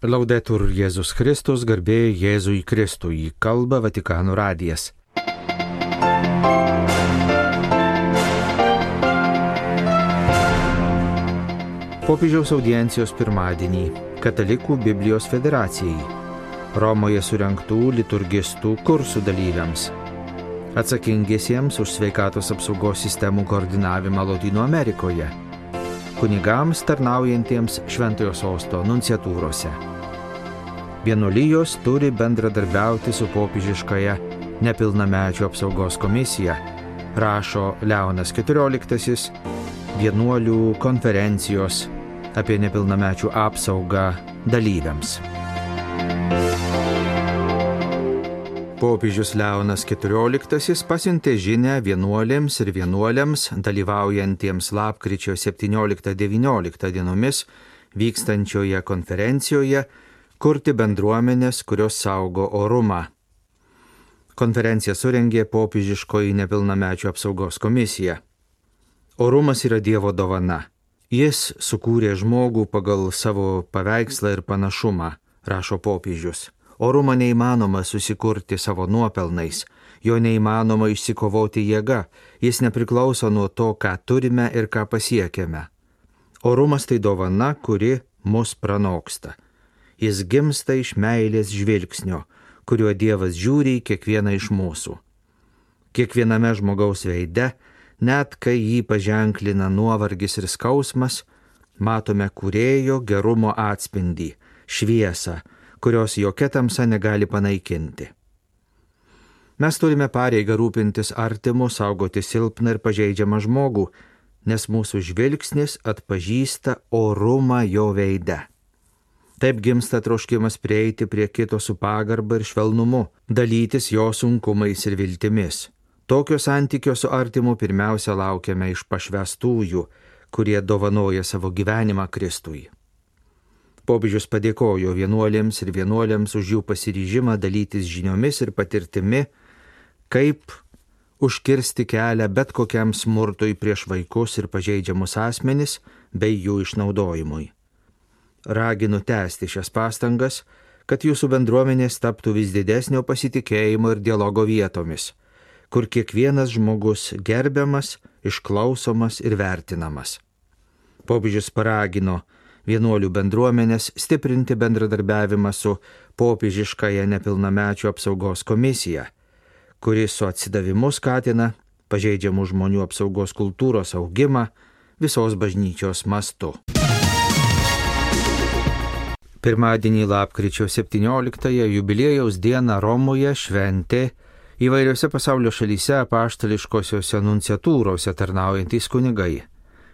Laudetur Jėzus Kristus, garbė Jėzui Kristui, kalba Vatikano radijas. Popiežiaus audiencijos pirmadienį Katalikų Biblijos federacijai, Romoje surengtų liturgistų kursų dalyviams, atsakingiesiems už sveikatos apsaugos sistemų koordinavimą Lotynų Amerikoje, kunigams tarnaujantiems Šventojo Sosto nunciatūrose. Vienuolijos turi bendradarbiauti su popiežiškąja nepilnamečių apsaugos komisija, rašo Leonas XIV vienuolių konferencijos apie nepilnamečių apsaugą dalyviams. Popiežius Leonas XIV pasiuntė žinią vienuolėms ir vienuoliams dalyvaujantiems lapkričio 17-19 dienomis vykstančioje konferencijoje kurti bendruomenės, kurios saugo orumą. Konferenciją surengė popiežiškoji nepilnamečių apsaugos komisija. Orumas yra Dievo dovana. Jis sukūrė žmogų pagal savo paveikslą ir panašumą, rašo popiežius. Orumą neįmanoma susikurti savo nuopelnais, jo neįmanoma išsikovoti jėga, jis nepriklauso nuo to, ką turime ir ką pasiekėme. Orumas tai dovana, kuri mus pranoksta. Jis gimsta iš meilės žvilgsnio, kuriuo Dievas žiūri į kiekvieną iš mūsų. Kiekviename žmogaus veide, net kai jį paženklina nuovargis ir skausmas, matome kūrėjo gerumo atspindį, šviesą, kurios jokia tamsa negali panaikinti. Mes turime pareigą rūpintis artimu, saugoti silpną ir pažeidžiamą žmogų, nes mūsų žvilgsnis atpažįsta orumą jo veide. Taip gimsta troškimas prieiti prie kito su pagarba ir švelnumu, dalytis jo sunkumais ir viltimis. Tokio santykio su artimu pirmiausia laukiame iš pašvęstųjų, kurie dovanoja savo gyvenimą Kristui. Popiežius padėkojo vienuolėms ir vienuoliams už jų pasiryžimą dalytis žiniomis ir patirtimi, kaip užkirsti kelią bet kokiam smurtui prieš vaikus ir pažeidžiamus asmenis bei jų išnaudojimui. Raginu tęsti šias pastangas, kad jūsų bendruomenės taptų vis didesnio pasitikėjimo ir dialogo vietomis, kur kiekvienas žmogus gerbiamas, išklausomas ir vertinamas. Popiežius paragino vienuolių bendruomenės stiprinti bendradarbiavimą su popiežiškąja nepilnamečių apsaugos komisija, kuri su atsidavimu skatina pažeidžiamų žmonių apsaugos kultūros augimą visos bažnyčios mastu. Pirmadienį lapkričio 17-ąją jubiliejaus dieną Romoje šventė įvairiose pasaulio šalyse apaštališkosiose nunciatūrose tarnaujantys kunigai.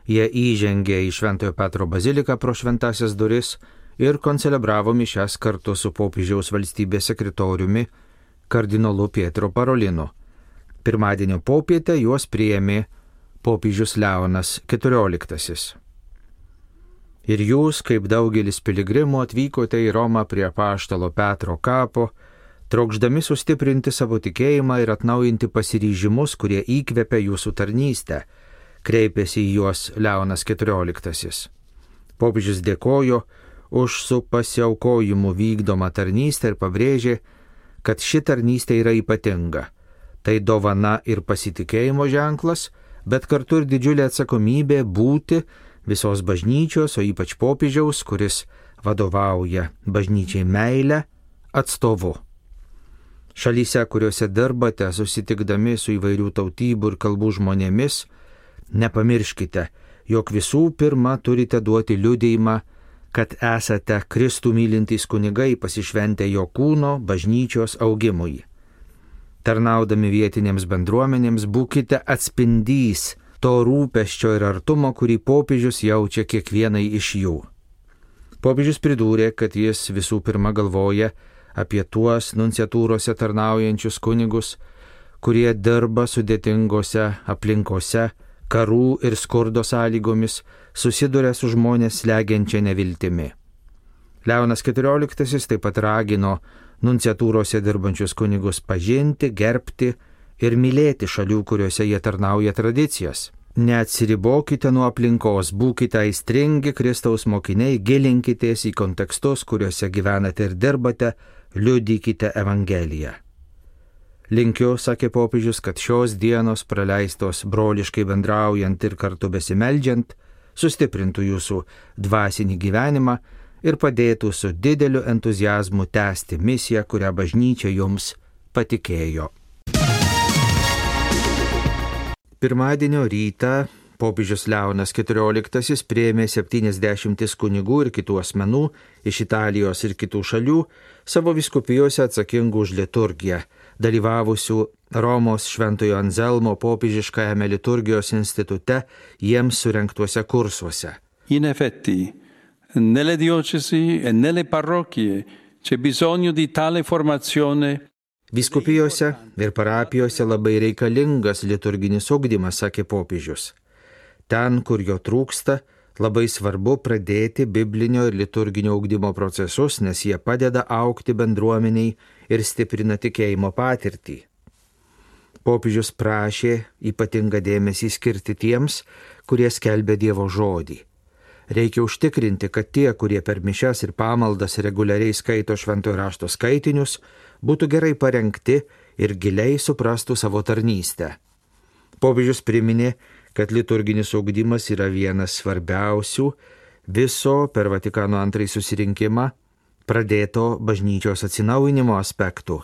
Jie įžengė į Šventojo Petro baziliką pro šventąsias duris ir koncelebravo mišias kartu su popiežiaus valstybės sekretoriumi kardinolu Pietro Parolinu. Pirmadienio popietę juos priėmė popiežius Leonas XIV. Ir jūs, kaip daugelis piligrimų, atvykote į Romą prie apaštalo Petro kapo, trokšdami sustiprinti savo tikėjimą ir atnaujinti pasiryžimus, kurie įkvepia jūsų tarnystę, kreipėsi į juos Leonas XIV. Popiežius dėkojo už su pasiaukojimu vykdomą tarnystę ir pabrėžė, kad ši tarnystė yra ypatinga. Tai dovana ir pasitikėjimo ženklas, bet kartu ir didžiulė atsakomybė būti visos bažnyčios, o ypač popiežiaus, kuris vadovauja bažnyčiai meilę, atstovu. Šalyse, kuriuose dirbate, susitikdami su įvairių tautybių ir kalbų žmonėmis, nepamirškite, jog visų pirma turite duoti liudijimą, kad esate Kristų mylintys kunigai pasišventę jo kūno bažnyčios augimui. Tarnaudami vietinėms bendruomenėms būkite atspindys to rūpesčio ir artumo, kurį popiežius jaučia kiekvienai iš jų. Popiežius pridūrė, kad jis visų pirma galvoja apie tuos nunciatūrose tarnaujančius kunigus, kurie dirba sudėtingose aplinkose, karų ir skurdo sąlygomis, susiduria su žmonės slegiančia neviltimi. Leonas XIV taip pat ragino nunciatūrose dirbančius kunigus pažinti, gerbti ir mylėti šalių, kuriuose jie tarnauja tradicijas. Neatsiribokite nuo aplinkos, būkite aistringi Kristaus mokiniai, gilinkitės į kontekstus, kuriuose gyvenate ir dirbate, liudykite Evangeliją. Linkiu, sakė popiežius, kad šios dienos praleistos broliškai bendraujant ir kartu besimeldžiant, sustiprintų jūsų dvasinį gyvenimą ir padėtų su dideliu entuziazmu tęsti misiją, kurią bažnyčia jums patikėjo. Pirmadienio rytą popiežius Leonas XIV priėmė 70 kunigų ir kitų asmenų iš Italijos ir kitų šalių savo vyskupijose atsakingų už liturgiją, dalyvavusių Romos Šventojo Anzelmo popiežiškajame liturgijos institute jiems surengtuose kursuose. In effetti, nelle diocesi e nelle parrocchie c'è bisogno di tale formazione. Vyskupijose ir parapijose labai reikalingas liturginis ugdymas, sakė popiežius. Ten, kur jo trūksta, labai svarbu pradėti biblinio ir liturginio ugdymo procesus, nes jie padeda augti bendruomeniai ir stiprina tikėjimo patirtį. Popiežius prašė ypatingą dėmesį skirti tiems, kurie skelbia Dievo žodį. Reikia užtikrinti, kad tie, kurie per mišias ir pamaldas reguliariai skaito šventojo rašto skaitinius, būtų gerai parengti ir giliai suprastų savo tarnystę. Popiežius priminė, kad liturginis ugdymas yra vienas svarbiausių viso per Vatikano II susirinkimą pradėto bažnyčios atsinaujinimo aspektų.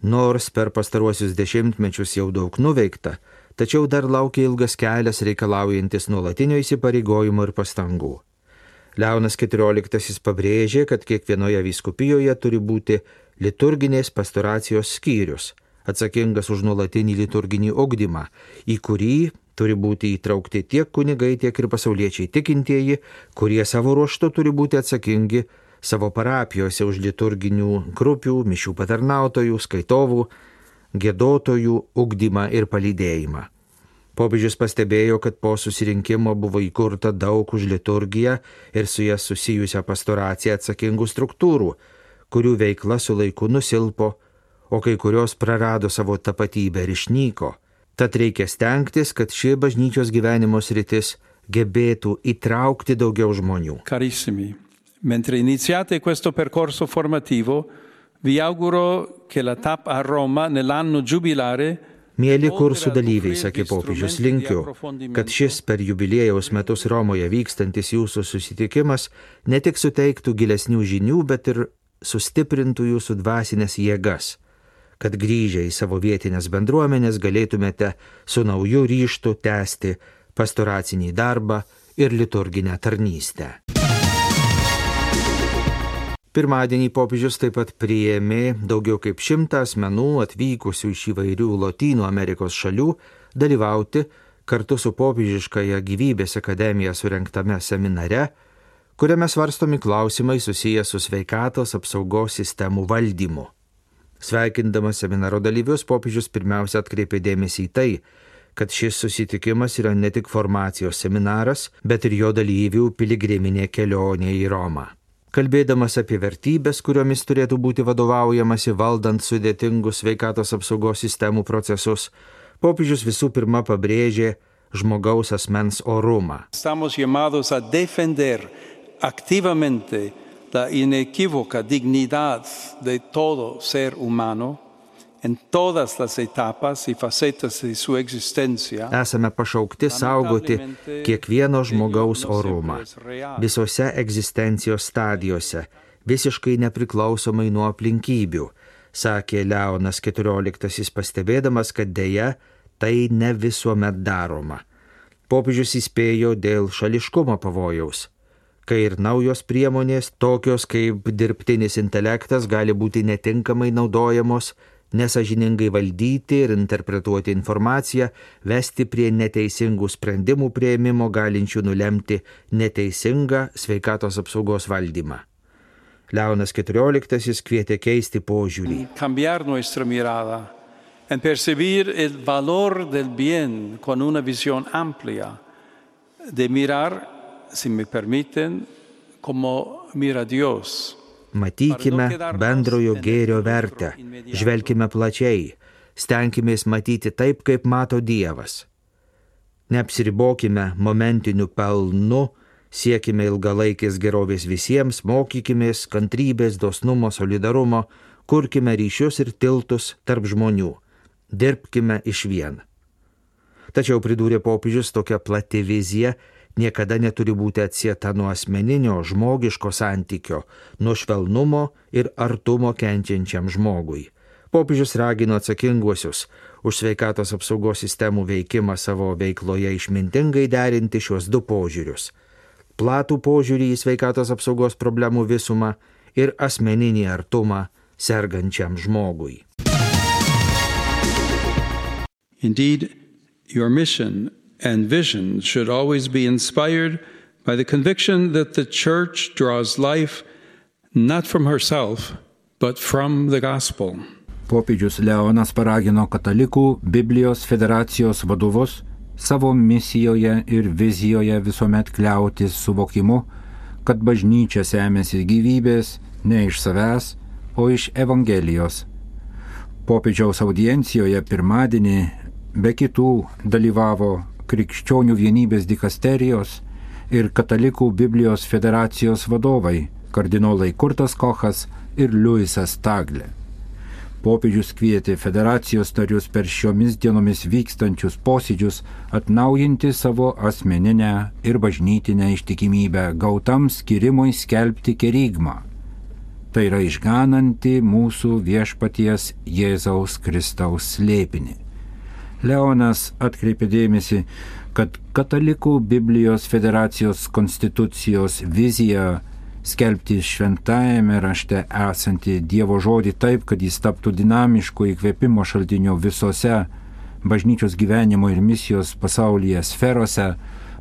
Nors per pastaruosius dešimtmečius jau daug nuveikta, tačiau dar laukia ilgas kelias reikalaujantis nuolatinio įsipareigojimo ir pastangų. Leonas XIV pabrėžė, kad kiekvienoje vyskupijoje turi būti liturginės pastoracijos skyrius, atsakingas už nuolatinį liturginį ugdymą, į kurį turi būti įtraukti tiek kunigai, tiek ir pasauliečiai tikintieji, kurie savo ruožtu turi būti atsakingi savo parapijose už liturginių grupių, mišių patarnautojų, skaitovų, giedotojų ugdymą ir palydėjimą. Popiežius pastebėjo, kad po susirinkimo buvo įkurta daug už liturgiją ir su jas susijusią pastoraciją atsakingų struktūrų, kurių veikla su laiku nusilpo, o kai kurios prarado savo tapatybę ir išnyko. Tad reikia stengtis, kad ši bažnyčios gyvenimo sritis gebėtų įtraukti daugiau žmonių. Carissimi, mentre iniziate questo percorso formativo, vi auguro che la TAP a Roma nell'anno giubilare. Mėly kursų dalyviai, sakė popiežius, linkiu, kad šis per jubiliejaus metus Romoje vykstantis jūsų susitikimas ne tik suteiktų gilesnių žinių, bet ir sustiprintų jūsų dvasinės jėgas, kad grįžę į savo vietinės bendruomenės galėtumėte su nauju ryžtu tęsti pastoracinį darbą ir liturginę tarnystę. Pirmadienį popiežius taip pat priėmė daugiau kaip 100 asmenų atvykusių iš įvairių Lotynų Amerikos šalių dalyvauti kartu su popiežiškąja Gyvybės akademija surengtame seminare, kuriame svarstomi klausimai susiję su sveikatos apsaugos sistemų valdymu. Sveikindamas seminaro dalyvius, popiežius pirmiausia atkreipė dėmesį į tai, kad šis susitikimas yra ne tik formacijos seminaras, bet ir jo dalyvių piligriminė kelionė į Romą. Kalbėdamas apie vertybės, kuriomis turėtų būti vadovaujamasi valdant sudėtingus sveikatos apsaugos sistemų procesus, popiežius visų pirma pabrėžė žmogaus asmens orumą. Estamos llamados a defender activamente la inequívoca dignidad de todo ser humano en todas las etapas y facetas de su existencia. Esame pašaukti saugoti kiekvieno žmogaus orumą visose egzistencijos stadijose, visiškai nepriklausomai nuo aplinkybių, sakė Leonas XIV, pastebėdamas, kad deja tai ne visuomet daroma. Popiežius įspėjo dėl šališkumo pavojaus, kai ir naujos priemonės, tokios kaip dirbtinis intelektas, gali būti netinkamai naudojamos, nesąžiningai valdyti ir interpretuoti informaciją, vesti prie neteisingų sprendimų priėmimo, galinčių nulemti neteisingą sveikatos apsaugos valdymą. Leonas XIV kvietė keisti požiūrį. Cambiar nuestra mirada en percibir el valor del bien con una visión amplia, de mirar, si me permiten, como mira Dios. Matykime bendrojo gėrio vertę, žvelkime plačiai, stenkimės matyti taip, kaip mato Dievas. Neapsiribokime momentiniu pelnu, siekime ilgalaikės gerovės visiems, mokykimės kantrybės, dosnumo, solidarumo, kurkime ryšius ir tiltus tarp žmonių, dirbkime išvien. Tačiau, pridūrė popiežius, tokia plati vizija niekada neturi būti atsieta nuo asmeninio, žmogiško santykio, nuo švelnumo ir artumo kenčiančiam žmogui. Popiežius ragino atsakinguosius už sveikatos apsaugos sistemų veikimą savo veikloje išmintingai derinti šios du požiūrius – platų požiūrį į sveikatos apsaugos problemų visumą ir asmeninį artumą sergančiam žmogui. Indeed, your mission and vision should always be inspired by the conviction that the Church draws life not from herself, but from the gospel. Popiežius Leonas paragino katalikų Biblijos federacijos vadovus savo misijoje ir vizijoje visuomet kliautis suvokimu, kad bažnyčia semiasi gyvybės ne iš savęs, o iš Evangelijos. Popiežiaus audiencijoje pirmadienį be kitų dalyvavo Krikščionių vienybės dikasterijos ir Katalikų Biblijos federacijos vadovai kardinolai Kurtas Kochas ir Liujisas Taglė. Popiežius kvietė federacijos narius per šiomis dienomis vykstančius posėdžius atnaujinti savo asmeninę ir bažnytinę ištikimybę gautam skirimui skelbti kerygmą. Tai yra išgananti mūsų viešpaties Jėzaus Kristaus slėpinį. Leonas atkreipė dėmesį, kad Katalikų Biblijos federacijos konstitucijos vizija skelbti šventajame rašte esantį Dievo žodį taip, kad jis taptų dinamišku įkvėpimo šaltiniu visose bažnyčios gyvenimo ir misijos pasaulyje sferose,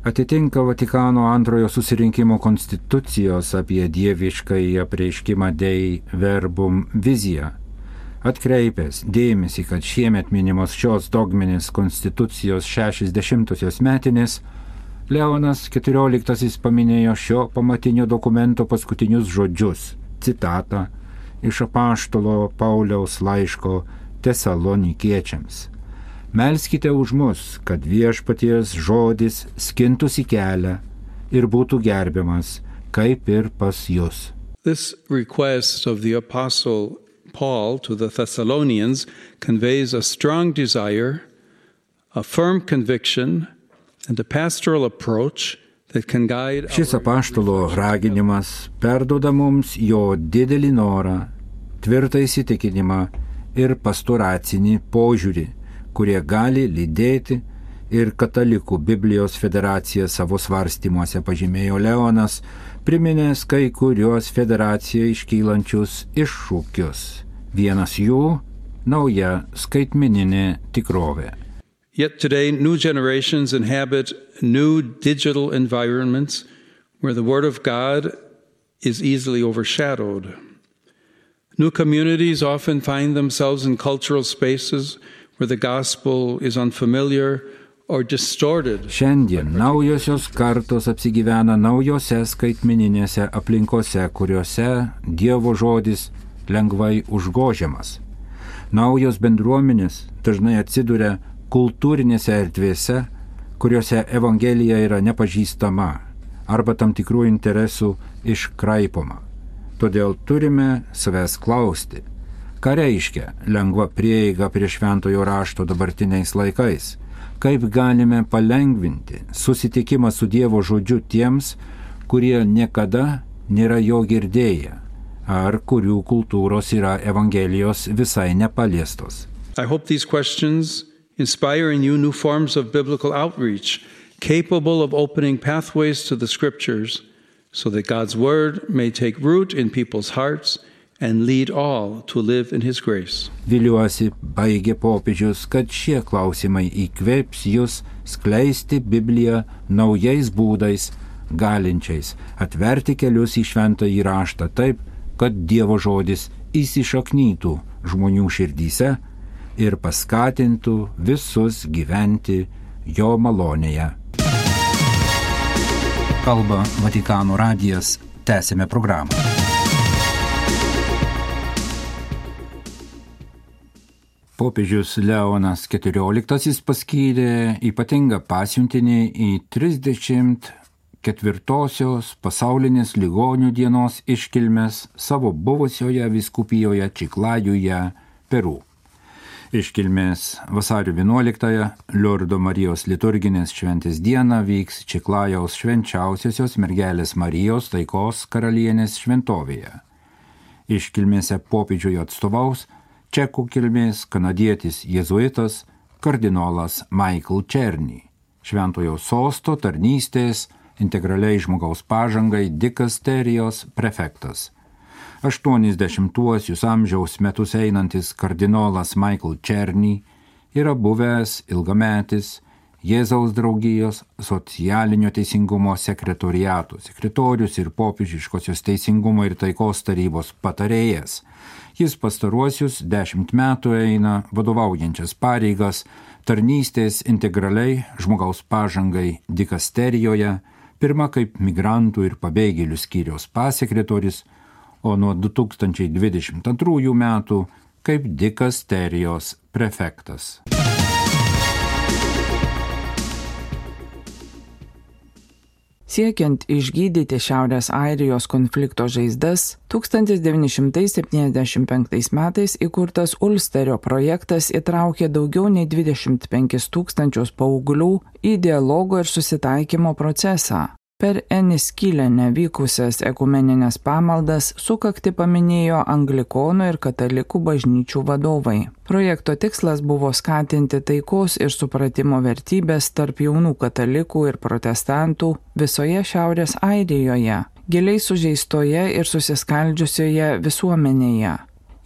atitinka Vatikano antrojo susirinkimo konstitucijos apie dieviškąjį apreiškimą Dei Verbum viziją. Atkreipęs dėmesį, kad šiemet minimos šios dogminės konstitucijos 60-osios metinės, Leonas XIV paminėjo šio pamatinio dokumento paskutinius žodžius, citatą iš apaštalo Pauliaus laiško Tesalonikiečiams. Melskite už mus, kad viešpaties žodis skintųsi kelią ir būtų gerbiamas, kaip ir pas jus. This request of the Apostle Paul to the Thessalonians conveys a strong desire, a firm conviction, and a pastoral approach that can guide. Šis apaštalo raginimas perduoda mums jo didelį norą, tvirtą įsitikinimą ir pastoracinį požiūrį, kurie gali lydėti ir Katalikų Biblijos federacija savo svarstymuose, pažymėjo Leonas, priminęs kai kurios federacijai iškylančius iššūkius. Vienas jų – nauja skaitmeninė tikrovė. Yet today, new generations inhabit new digital environments where the Word of God is easily overshadowed. New communities often find themselves in cultural spaces where the gospel is unfamiliar or distorted. Šiandien naujosios kartos apsigyvena naujose skaitmeninėse aplinkose, kuriuose Dievo žodis lengvai užgožiamas. Naujos bendruomenės dažnai atsiduria kultūrinėse erdvėse, kuriuose Evangelija yra nepažįstama arba tam tikrų interesų iškraipoma. Todėl turime savęs klausti, ką reiškia lengva prieiga prie šventojo rašto dabartiniais laikais, kaip galime palengvinti susitikimą su Dievo žodžiu tiems, kurie niekada nėra jo girdėję ar kurių kultūros yra Evangelijos visai nepaliestos. I hope these questions inspire in you new forms of biblical outreach, capable of opening pathways to the Scriptures, so that God's Word may take root in people's hearts and lead all to live in His grace. Viliuosi, baigė popiežius, kad šie klausimai įkvėps jūs skleisti Bibliją naujais būdais, galinčiais atverti kelius į šventąjį raštą taip, kad Dievo žodis įsišaknytų žmonių širdyse ir paskatintų visus gyventi jo malonėje. Kalba Vatikano radijas, tęsime programą. Popiežius Leonas XIV paskyrė ypatingą pasiuntinį į 34-osios pasaulinės ligonių dienos iškilmes savo buvusioje vyskupijoje Čiklajuje, Peru. Iškilmės vasario 11-ąją Liurdo Marijos liturginės šventės dieną vyks Čiklajaus švenčiausiosios mergelės Marijos taikos karalienės šventovėje. Iškilmėse popiežiui atstovaus čekų kilmės kanadietis jėzuitas kardinolas Michael Černy, Šventojo sosto tarnystės integraliai žmogaus pažangai dikasterijos prefektas. 80-uosius amžiaus metus einantis kardinolas Michael Černy yra buvęs ilgametis Jėzaus draugijos socialinio teisingumo sekretoriato sekretorius ir popiežiškosios teisingumo ir taikos tarybos patarėjas. Jis pastaruosius 10 metų eina vadovaujančias pareigas tarnystės integraliai žmogaus pažangai dikasterijoje, pirma kaip migrantų ir pabėgėlių skyriaus pasekretorius, o nuo 2022 metų kaip dikasterijos prefektas. Siekiant išgydyti Šiaurės Airijos konflikto žaizdas, 1975 metais įkurtas Ulsterio projektas įtraukė daugiau nei 25 000 paauglių į dialogo ir susitaikymo procesą. Per Eniskilene vykusias ekumeninės pamaldas sukaktį paminėjo anglikonų ir katalikų bažnyčių vadovai. Projekto tikslas buvo skatinti taikos ir supratimo vertybės tarp jaunų katalikų ir protestantų visoje Šiaurės Airijoje, giliai sužeistoje ir susiskaldžiusioje visuomenėje.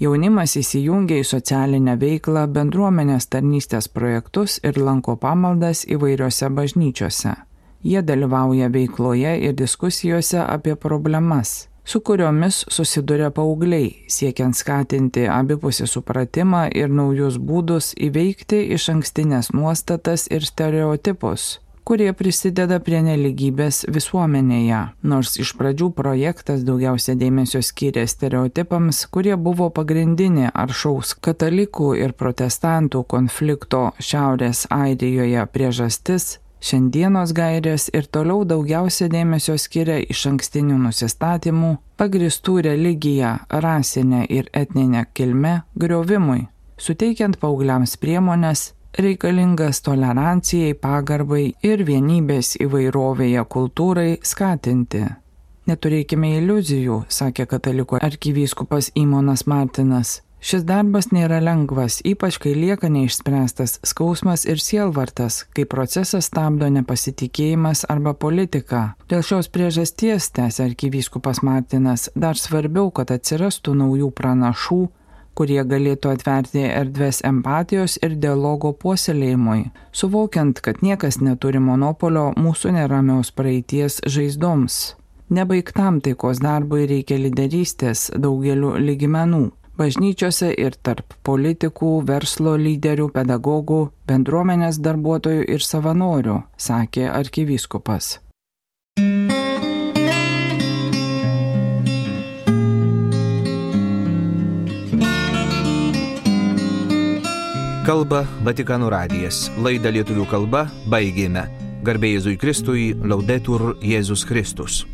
Jaunimas įsijungia į socialinę veiklą, bendruomenės tarnystės projektus ir lanko pamaldas įvairiose bažnyčiose. Jie dalyvauja veikloje ir diskusijose apie problemas, su kuriomis susiduria paaugliai, siekiant skatinti abipusį supratimą ir naujus būdus įveikti išankstinės nuostatas ir stereotipus, kurie prisideda prie nelygybės visuomenėje. Nors iš pradžių projektas daugiausia dėmesio skyrė stereotipams, kurie buvo pagrindinė aršaus katalikų ir protestantų konflikto Šiaurės Airijoje priežastis, šiandienos gairės ir toliau daugiausia dėmesio skiria išankstinių nusistatymų, pagristų religiją, rasinę ir etninę kilmę griovimui, suteikiant paaugliams priemones reikalingas tolerancijai, pagarbai ir vienybės įvairovėje kultūrai skatinti. Neturėkime iliuzijų, sakė katalikų arkivyskupas Imonas Martinas. Šis darbas nėra lengvas, ypač kai lieka neišspręstas skausmas ir sielvartas, kai procesas stabdo nepasitikėjimas arba politika. Dėl šios priežasties, tęsė arkivyskupas Martinas, dar svarbiau, kad atsirastų naujų pranašų, kurie galėtų atverti erdves empatijos ir dialogo puoselėjimui, suvokiant, kad niekas neturi monopolio mūsų neramios praeities žaizdoms. Nebaigtam taikos darbui reikia lyderystės daugeliu lygmenų. Bažnyčiose ir tarp politikų, verslo lyderių, pedagogų, bendruomenės darbuotojų ir savanorių, sakė arkivyskupas. Kalba Vatikano radijas. Laidą lietuvių kalba baigėme. Garbė Jėzui Kristui, Laudetur Jėzus Kristus.